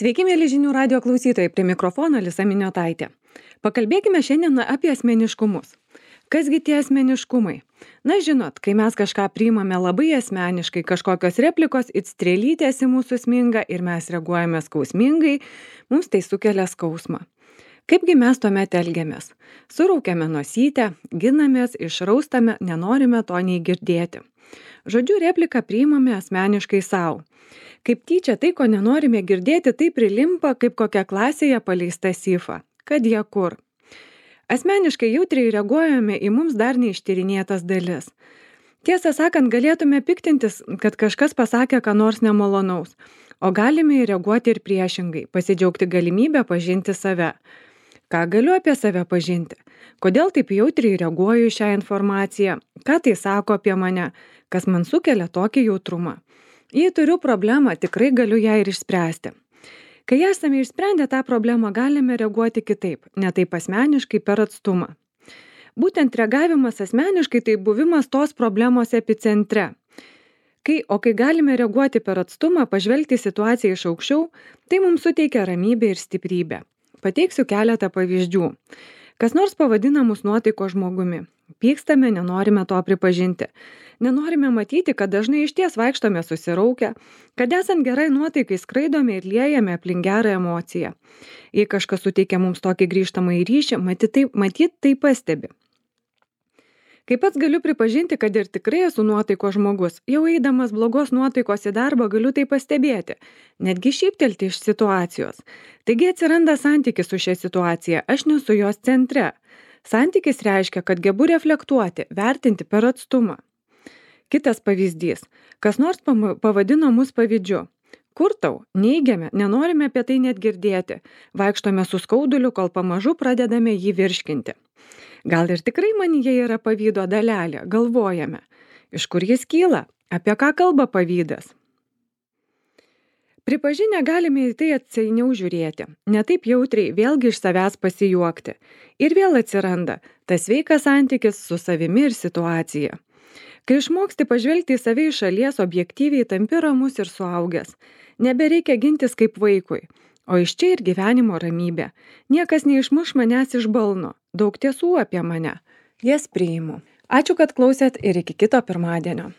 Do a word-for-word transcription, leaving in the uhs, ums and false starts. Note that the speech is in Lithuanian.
Sveiki, mėly žinių radio klausytojai, prie mikrofono Alisa Miniotaitė. Pakalbėkime šiandien apie asmeniškumus. Kasgi tie asmeniškumai? Na žinot, kai mes kažką priimame labai asmeniškai, kažkokios replikos, it strėlytės į mūsų sminga ir mes reaguojame skausmingai, mums tai sukelia skausmą. Kaipgi mes tuomet elgiamės? Suraukiame nosytę, ginamės, išraustame, nenorime to nei girdėti. Žodžiu, repliką priimame asmeniškai savo. Kaip tyčia tai, ko nenorime girdėti, tai prilimpa kaip kokia klasėje paleista sifa. Kad jie kur. Asmeniškai jautriai reaguojame į mums dar neištyrinėtas dalis. Tiesą sakant, galėtume piktintis, kad kažkas pasakė ką nors nemalonaus, o galime reaguoti ir priešingai, pasidžiaugti galimybę pažinti save. Ką galiu apie save pažinti? Kodėl taip jautriai reaguoju į šią informaciją? Ką tai sako apie mane? Kas man sukelia tokį jautrumą? Jei turiu problemą, tikrai galiu ją ir išspręsti. Kai esame išsprendę tą problemą, galime reaguoti kitaip, ne taip asmeniškai per atstumą. Būtent reagavimas asmeniškai tai buvimas tos problemos epicentre. Kai, o kai galime reaguoti per atstumą, pažvelgti situaciją iš aukščiau, tai mums suteikia ramybę ir stiprybę. Pateiksiu keletą pavyzdžių. Kas nors pavadina mus nuotaiko žmogumi. Pykstame, nenorime to pripažinti. Nenorime matyti, kad dažnai išties vaikštome susiraukę, kad esant gerai nuotaikai skraidome ir liejame aplink gerą emociją. Jei kažkas suteikia mums tokį grįžtamą į ryšį, matyt tai, matyt, tai pastebi. Kaip pats galiu pripažinti, kad ir tikrai esu nuotaiko žmogus, jau eidamas blogos nuotaikos į darbą galiu tai pastebėti, netgi šyptelti iš situacijos. Taigi atsiranda santykis su šia situacija, aš nesu jos centre. Santykis reiškia, kad gebu reflektuoti, vertinti per atstumą. Kitas pavyzdys. Kas nors pavadino mus pavydžiu. Kur tau? Neigiame, nenorime apie tai net girdėti. Vaikštome su skauduliu, kol pamažu pradedame jį virškinti. Gal ir tikrai manyje yra pavydo dalelė, galvojame. Iš kur jis kyla? Apie ką kalba pavydas? Pripažinę galime į tai atsainiau žiūrėti, ne taip jautriai, vėlgi iš savęs pasijuokti. Ir vėl atsiranda tas sveikas santykis su savimi ir situacija. Kai išmoksti pažvelgti į save iš šalies, objektyviai tampi ramus ir suaugęs. Nebereikia gintis kaip vaikui, o iš čia ir gyvenimo ramybė. Niekas neišmuš manęs iš balno, daug tiesų apie mane. Jas priimu. Ačiū, kad klausėt ir iki kito pirmadienio.